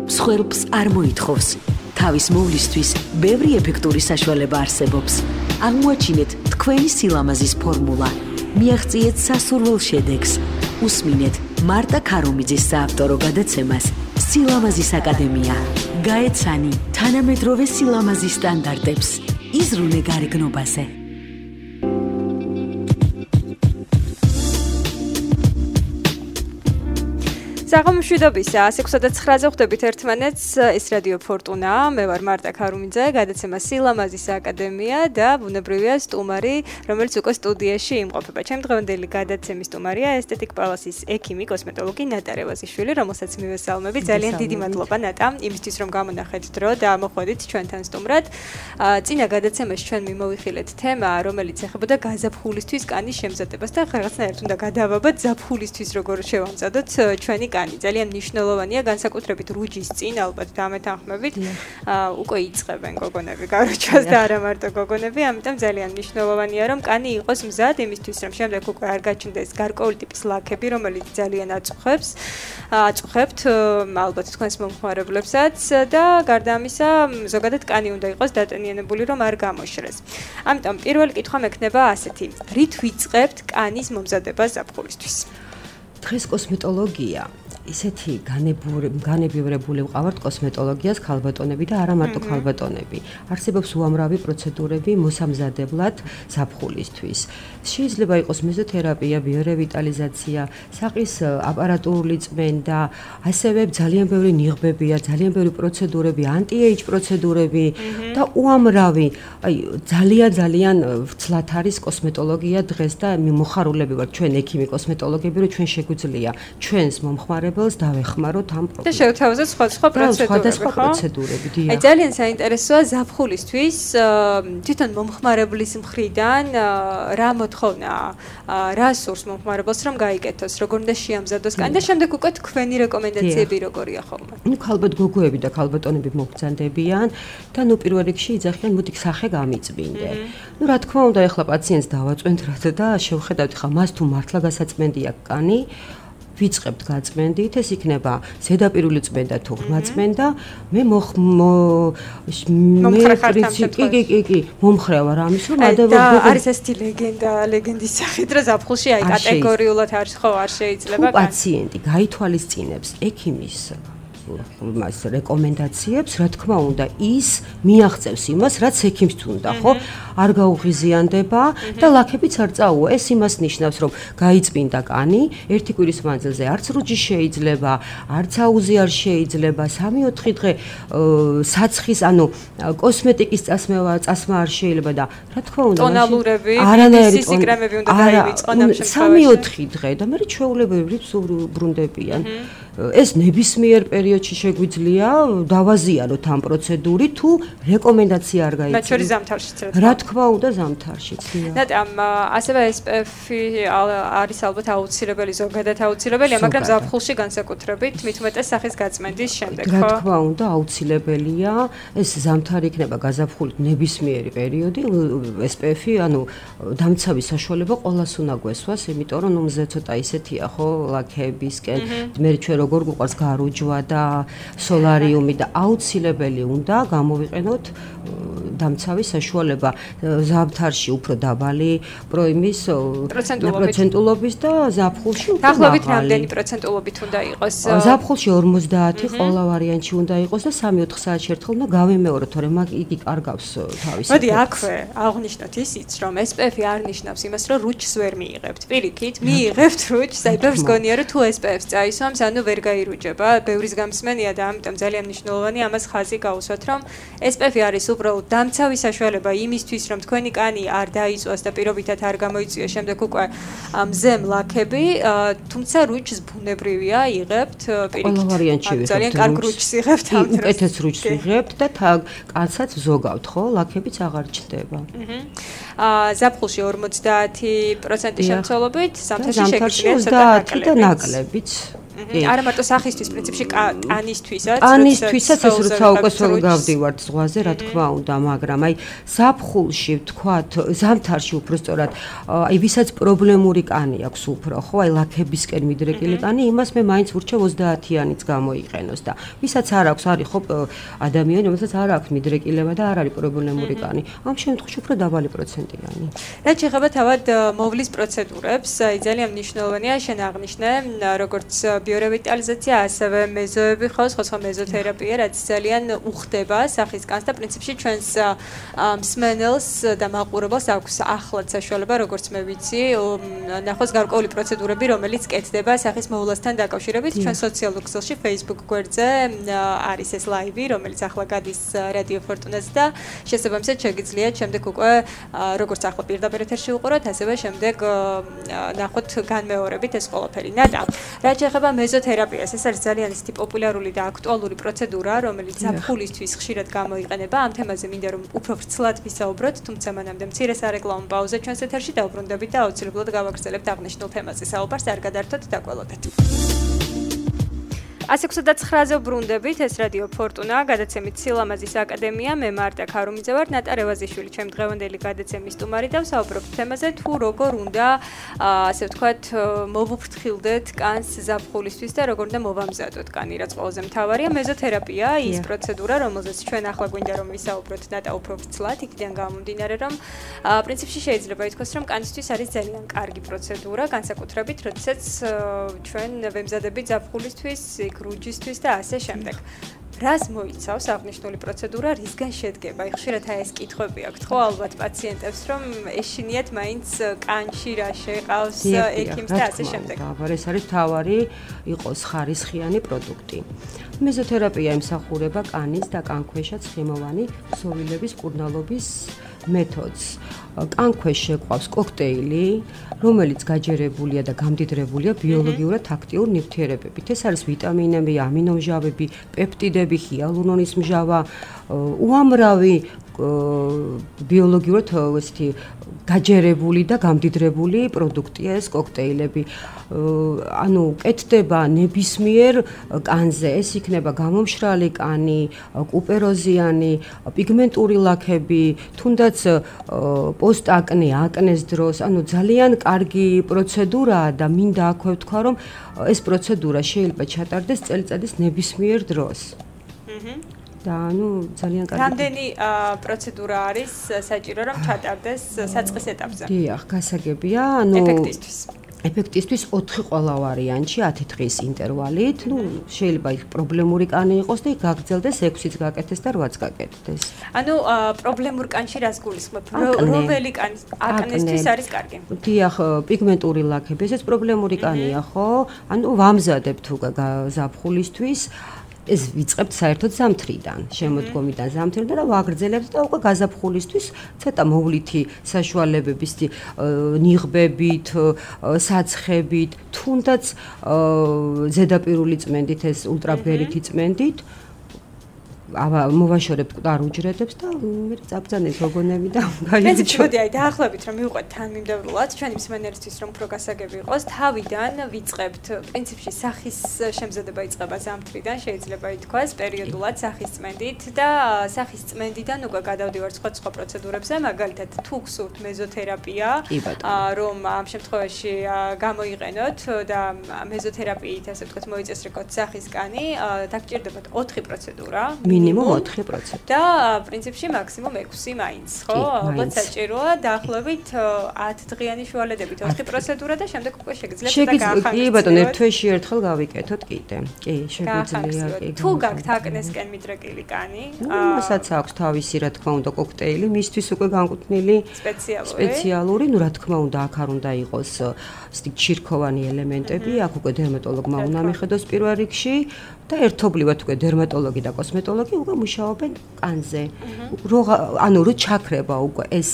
მსხვერპლს არ მოითხოვს. თავის მოვლისთვის ბევრი ეფექტური საშუალება არსებობს. აღმოაჩინეთ თქვენი სილამაზის ფორმულა. მიაღწიეთ სასურველ შედეგს. უსმინეთ მარტა ქარუმიძის საავტორო გადაცემას სილამაზის აკადემია. გაეცანი თანამედროვე სილამაზის სტანდარტებს. იზრუნე გარეგნობაზე. საღამოშვიდობისა 106.9-ზე ხვდებით ერთმანეთს, ეს რადიო ფორტუნა, მე ვარ მარტა ქარუმიძე, გადაცემა სილამაზის აკადემია და ბუნებრივია სტუმარი, რომელიც უკვე სტუდიაში იმყოფება. ჩემი დღევანდელი გადაცემის სტუმარია ესთეტიკ პალასის ექიმი, კოსმეტოლოგი ნატა რევაზიშვილი, რომელსაც მივესალმები. ძალიან დიდი მადლობა ნატა, იმისთვის რომ გამონახეთ დრო და მოხვედით ჩვენთან სტუმრად. წინა გადაცემაში ჩვენ მიმოვიხილეთ თემა, რომელიც ეხებოდა გაზაფხულისთვის კანის შემზადებას და რაღაცნაირად უნდა გადავაბად ზაფხულისთვის როგორ შევამზადოთ ჩვენი ძალიან მნიშვნელოვანია განსაკუთრებით რუჯის წინ ალბათ დამეთანხმებით უკვე იწყებენ გოგონები გაროჩას და არა მარტო გოგონები ამიტომ ძალიან მნიშვნელოვანია რომ კანი იყოს მზად იმისთვის რომ შემდეგ უკვე არ გაჩნდეს გარკვეული ტიპის ლაქები რომელიც ძალიან აწუხებთ ალბათ თქვენს მომხმარებლებსაც და გარდა ამისა ზოგადად კანი უნდა იყოს დატენიანებული რომ არ გამოშრეს ამიტომ პირველი კითხვა მექნება ასეთი რით ვიწყებთ კანის მომზადებას ზაფხულისთვის დღეს კოსმეტოლოგია ისეთი განებივრებული ვყავართ კოსმეტოლოგიას ქალბატონები და არა მარტო ქალბატონები. არსებობს უამრავი პროცედურები მოსამზადებლად ზაფხულისთვის. შეიძლება იყოს მეზოთერაპია, ბიორევიტალიზაცია, საყის აპარატურული წმენდა, ასევე ძალიან ბევრი ნიღბებია, ძალიან ბევრი პროცედურები, ანტი-ეიჯ პროცედურები და უამრავი, ძალიან ვცლად არის კოსმეტოლოგია დღეს და მოხარულები ვართ ჩვენ ექიმი კოსმეტოლოგები, რომ ჩვენ შეგვიძლია ჩვენს მომხმარებელს დავეხმაროთ ამ პრობლემას. და შევთავაზოთ სხვადასხვა პროცედურები. აი ძალიან საინტერესოა ზაფხულისთვის თვითონ მომხმარებლის მხრიდან რა მოთხოვნაა, რა სურს მომხმარებელს რომ გაიკეთოს, როგორ უნდა შეამზადოს კანი და შემდეგ უკვე თქვენი რეკომენდაციები როგორია ხოლმე. ქალბატ გოგოები და ქალბატონები მოგბრძანდებიან და პირველ რიგში იძახიან მოდი სახე გამიწმინდე. რა თქმა უნდა ეხლა პაციენტს დავაწვენთ და შევხედავთ ხა მას თუ მართლა გასაწმენდია კანი ვიწყებთ გაწმენდით, ეს იქნება ზედაპირული წმენდა თუ ღრმა წმენდა, მე მომხრე ვარ ამის რომ არის ესეთი ლეგენდის სახით რომ ზაფხულში აი კატეგორიულად არის ხო არ შეიძლება პაციენტი გაითვალისწინებს ექიმის მას რეკომენდაციებს, რა თქმა უნდა, ის მიაღწევს იმას, რაც ექიმს თუნდა, ხო? არ გაუღიზიანდება და ლაქებიც არ წაუვა. ეს იმას ნიშნავს, რომ გაიწმინდა კანი, ერთი კვირის მანძილზე არც რუჯი შეიძლება, არც აუზი არ შეიძლება, 3-4 დღე საცხის, კოსმეტიკის წასმა არ შეიძლება და რა თქმა უნდა, ტონალურები, BCC კრემები უნდა დაივიწყონ ამ შემთხვევაში. 3-4 დღე და მე ჩვეულებრივი ბრუნდებიან. ეს ნებისმიერ პერიოდში შეგვიძლია დავაზიანოთ ამ პროცედურით თუ რეკომენდაცია არ გაიწევს. მათ შორის ზამთარშიც რა თქმა უნდა ზამთარშიც. და ასევე SPF-ი არის ალბათ აუცილებელი, ზოგადად აუცილებელია, მაგრამ ზაფხულში განსაკუთრებით მით უმეტეს სახის გაწმენდის შემდეგ, ხო? რა თქმა უნდა აუცილებელია. ეს ზამთარი იქნება გაზაფხულით ნებისმიერი პერიოდი, SPF-ი, დამცავის საშუალება ყოველას უნდა გვესვას, იმიტომ რომ მზე ცოტა ისეთია, ხო, ლაქებისკენ, მე ჩვენ როგორ გვყავს გარუჯვა და სოლარიუმი და აუცილებელი უნდა გამოვიყენოთ დამცავის საშუალება ზამთარში უფრო დაბალი პროიმის პროცენტულობის და ზაფხულში უფრო მაღალი. დაახლოებით რამდენი პროცენტულობით უნდა იყოს? ზაფხულში 50, ყველა ვარიანტში უნდა იყოს და 3-4 საათში ერთხელ უნდა გავიმეოროთ, თორემ იგი კარგავს თავის. მოდი აქვე აღნიშნოთ ისიც, რომ SPF-ი არ ნიშნავს იმას, რომ რუჩს ვერ მიიღებთ. პირიქით, მიიღებთ რუჩს, აი ბევრს გონია, რომ თუ SPF-ს წაისვამს, ვერ გაირუჯება, ბევრის გამსმენია და ამიტომ ძალიან მნიშვნელოვანია ამას ხაზი გაუსვათ, რომ SPF-ი არის უბრალოდ დამცავის საშუალება იმისთვის, რომ თქვენი კანი არ დაიწვას და პირობითად არ გამოიწვიოს შემდეგ უკვე მზემ ლაქები, თუმცა რუჯს ბუნებრივია იღებთ, პირიქით. ძალიან კარგ რუჯს იღებთ ამ დროს. უკეთეს რუჯს იღებთ და კანსაც ზოგავთ, ხო? ლაქებიც აღარ ჩნდება. ზაფხულში 50% შემცველობით, ზამთარში შეგვიძლია ცოტა ნაკლებიც. არა მარტო სახისთვის, პრინციპში კანისთვისაც, კანისთვისაც ეს როცა უკვე გავდივართ ზღვაზე, რა თქმა უნდა, მაგრამ აი ზაფხულში ვთქვათ, ზამთარში უბრალოდ აი ვისაც პრობლემური კანი აქვს უფრო, ხო, აი ლაქებისკენ მიდრეკილი კანი, იმას მე მაინც ვურჩევ 30-იანიც გამოიყენოს და ვისაც არ აქვს, არის ხო ადამიანი, რომელსაც არ აქვს მიდრეკილება და არ არის პრობლემური კანი, ამ შემთხვევაში უფრო დაბალი პროცენტიანი. რაც შეეხება თავად მოვლის პროცედურებს, აი ძალიან მნიშვნელოვანია შენ აღნიშნე, როგორც ბიორევიტალიზაცია, ასევე მეზოები ხავს, ხო მეზოთერაპია, რაც ძალიან უხდება სახის კანს და პრინციპში ჩვენს მსმენელს და მაყურებელს აქვს ახლად საშუალება, როგორც მე ვიცი, ნახოს გარკვეული პროცედურები, რომელიც კეთდება სახის მოვლასთან დაკავშირებით. ჩვენ სოციალურ ქსელში Facebook გვერდზე არის ეს ლაივი, რომელიც ახლა გადის რადიო ფორტუნას და შესაბამისად შეგიძლიათ შემდეგ უკვე როგორც ახლა პირდაპირ ეთერში უყუროთ, ასევე შემდეგ ნახოთ განმეორებით ეს ყველაფერი. ნატა, რაც შეეხება მეზოთერაპიას, ეს არის ძალიან ისეთი პოპულარული და აქტუალური პროცედურა, რომელიც ზაფხულისთვის ხშირად გამოიყენება. ამ თემაზე მინდა რომ უფრო ვრცლად ვისაუბროთ, თუმცა მანამდე მცირე სარეკლამო პაუზა ჩვენს ეთერში დავბრუნდებით და აუცილებლად გავაგრძელებთ აღნიშნულ თემაზე საუბარს, არ გადართოთ და გველოდეთ. 129-ზე ვბრუნდებით, ეს რადიო ფორტუნა, გადაცემით სილამაზის აკადემია, მე მარტა ქარუმიძე ვარ, ნატა რევაზიშვილი, ჩემი დღევანდელი გადაცემის სტუმარი და ვსაუბრობთ თემაზე, თუ როგორ უნდა, ასე ვთქვათ, მოვუფრთხილდეთ კანს ზაფხულისთვის და როგორ უნდა მოვამზადოთ კანი, რაც ყველაზე მთავარია, მეზოთერაპია, ის პროცედურა, რომელზეც ჩვენ ახლა გვინდა რომ ვისაუბროთ ნატა უფრო ვრცლად, იქიდან გამომდინარე, რომ პრინციპში შეიძლება ითქვას, რომ კანისთვის არის ძალიან კარგი პროცედურა, განსაკუთრებით, როდესაც ჩვენ ვემზადებით ზაფხულისთვის, რუჯისთვის და ასე შემდეგ. რას მოიცავს აღნიშნული პროცედურა, რისგან შედგება? ხშირად ეს კითხვები აქვთ, ხო, ალბათ პაციენტებს, რომ ეშინიათ მაინც კანში რა შეყავს ექიმს და ასე შემდეგ. ეს არის თავარი იყოს ხარისხიანი პროდუქტი. მეზოთერაპია ემსახურება კანის და კანქვეშა ცხიმოვანი ქსოვილების კურნალობის მეთოდს. კანქვეშ შეყვავს კოქტეილი, რომელიც გაჯერებულია და გამდიდრებულია ბიოლოგიურად აქტიურ ნივთიერებებით. ეს არის ვიტამინები, ამინომჟავები, პეპტიდები, ჰიალურონის მჟავა, უამრავი ბიოლოგიურად ესეთი გაჯერებული და გამდიდრებული პროდუქტია ეს კოქტეილები. ანუ კეთდება ნებისმიერ კანზე, ეს იქნება გამომშრალი კანი, კუპეროზიანი, პიგმენტური ლაქები, თუნდაც პოსტაკნე, აკნეს დროს, ანუ ძალიან კარგი პროცედურაა და მინდა აქვე ვთქვა, რომ ეს პროცედურა შეიძლება ჩატარდეს წელიწადის ნებისმიერ დროს. და ანუ ძალიან კარგი. რამდენი პროცედურა არის საჭირო რომ ჩატარდეს საწყის ეტაპზე? დიახ, გასაგებია, ანუ ეფექტისთვის 4 ყველა ვარიანტში 10 დღის ინტერვალით, შეიძლება იქ პრობლემური კანი იყოს და იქ გაგრძელდეს 6-იც გაკეთდეს და 8-ც გაკეთდეს. ანუ პრობლემურ კანში რას გულისხმობ? რომელი კანი აკნესთვის არის კარგი? დიახ, პიგმენტური ლაქები, ესეც პრობლემური კანია, ხო? ანუ ვამზადებთ თუ ზაფხულისთვის ეს ვიწყებთ საერთოდ ზამთრიდან, შემოდგომიდან ზამთრიდან და ვაგრძელებთ და უკვე გაზაფხულისთვის ცოტა მოვლითი საშუალებების ნიღბებით, საცხებით, თუნდაც ზედაპირული წმენდით, ეს ულტრაბგერითი წმენდით მოვაშორებთ ყარ უჯრედებს და მე წაბძანეთ გოგონები და გაიჩინოთ. მოდი აი დაახლოებით რომ მივყვეთ თანმიმდევრულად ჩვენი მსმენელისთვის რომ უფრო გასაგები იყოს, თავიდან ვიწყებთ პრინციპში სახის შემზადება იწყება ზამთრიდან, შეიძლება ითქვას პერიოდულად სახის წმენდით და სახის წმენდიდან უკვე გადავდივართ სხვა პროცედურებზე, მაგალითად თუ გსურთ მეზოთერაპია, რომ ამ შემთხვევაში გამოიყენოთ და მეზოთერაპიით ასე ვთქვათ მოიწესრიგოთ სახის კანი, დაგჭირდებათ 4 პროცედურა. მინიმუმ 4%. და პრინციპში მაქსიმუმ 6 მაინც, ხო? ალბათ საჭიროა დაახლოებით 10 დღიანი შუალედებით 4 პროცედურა და შემდეგ უკვე შეგიძლიათ და გაახანგრძლივოთ. კი ბატონო, ერთ თვეში ერთხელ გავიკეთოთ კიდე. კი, შეგვიძლია კი. თუ გაქვთ აკნესკენ მიდრეკილი კანი, მასაც აქვს თავისი რა თქმა უნდა კოქტეილი, მისთვის უკვე განკუთვნილი სპეციალური, ну რა თქმა უნდა, აქ არ უნდა იყოს ისეთი ჩირქოვანი ელემენტები, აქ უკვე დერმატოლოგმა უნდა მიხედოს პირველ რიგში. და ერთობლივად უკვე დერმატოლოგი და კოსმეტოლოგი უკვე მუშაობენ კანზე. ანუ რო ჩაქრება უკვე ეს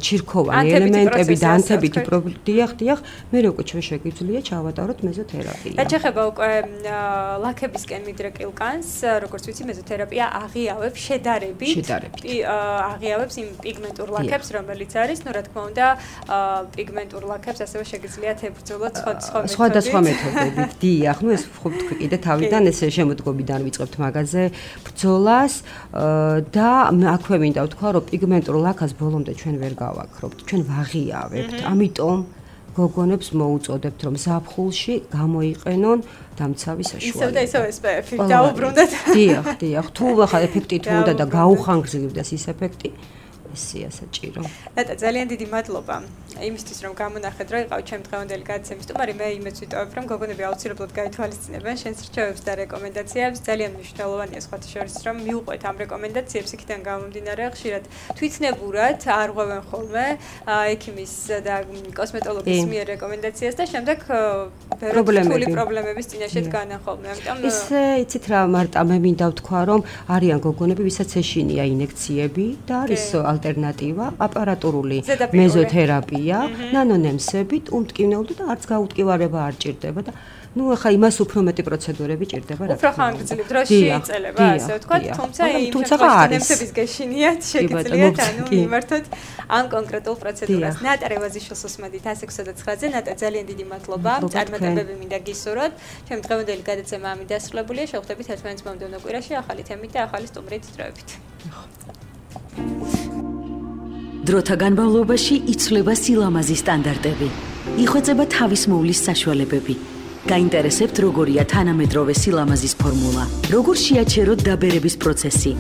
ჩირქოვანი ელემენტები და ანთებითი დიახ, მე უკვე ჩვენ შეგვიძლია ჩავატაროთ მეზოთერაპია. რაც ეხება უკვე ლაქებისკენ მიდრეკილ კანს, როგორც ვიცი, მეზოთერაპია აღიავებს შედარებით აღიავებს იმ პიგმენტურ ლაქებს, რომელიც არის, ну, რა თქმა უნდა, პიგმენტურ ლაქებს ასევე შეგიძლიათ ებრძოლოთ სხვადასხვა მეთოდებით. დიახ, ну, ეს ხო თქვი კიდე თავიდან ეს შემოდგომიდან ვიწყებთ მაგაზე ბრძოლას და აქვე მინდა ვთქვა, რომ პიგმენტურ ლაქას ბოლომდე ჩვენ ვერ გავაქრობთ, ჩვენ ვაღიავებთ. ამიტომ გოგონებს მოუწოდებთ, რომ ზაფხულში გამოიყენონ დამცავი საშუალება. ისევ და ისევ SPF-ი დაუბრუნდეთ. დიახ, თუ ახლა ეფექტი თუ უნდა და გაუხანგრძლივდეს ის ეფექტი, ესეა საჭირო. ნატა, ძალიან დიდი მადლობა იმისთვის, რომ გამონახეთ, რომ იყავით ჩემი დღევანდელი გადაცემის სტუმარი. მე იმედს ვიტოვებ, რომ გოგონები აუცილებლად გაითვალისწინებენ შენს რჩევებს და რეკომენდაციებს. ძალიან მნიშვნელოვანია სხვათა შორის, რომ მიუყვეთ ამ რეკომენდაციებს, იქიდან გამომდინარე, ხშირად თვითნებურად არ ღვევენ ხოლმე ექიმის და კოსმეტოლოგის მიერ რეკომენდაციას და შემდეგ რთული პრობლემების წინაშე დგანან ხოლმე. ამიტომ ისე იცით რა, მარტა მე მინდა ვთქვა, რომ არიან გოგონები, ვისაც ეშინია ინექციები და არის ალტერნატივა აპარატურული მეზოთერაპია, ნანონემსებით, უმტკივნეულთა და არც გაუტკივარება არ ჭირდება და ну, ახლა იმას უფრო მეტი პროცედურები ჭირდება რა. უფრო ხანგრძლივ დროში იწელება, ასე ვთქვათ, თუმცა იმ შემთხვევაში გეშინიათ, შეგიძლიათ ანუ მიმართოთ ამ კონკრეტულ პროცედურას. ნატა რევაზიშვილს უსმენთ 169-ზე. ნატა, ძალიან დიდი მადლობა. წარმატებები მინდა გისურვოთ. ჩემი დღევანდელი გადაცემა ამით დასრულებულია. შევხვდებით ერთმანეთს მომდევნო კვირაში ახალი თემით და ახალი სტუმრით დროებით. დროთა განმავლობაში იცვლება სილამაზის სტანდარტები. იხვეწება თავის მოვლის საშუალებები. გაინტერესებთ როგორია თანამედროვე სილამაზის ფორმულა? როგორ შეაჩეროთ დაბერების პროცესი?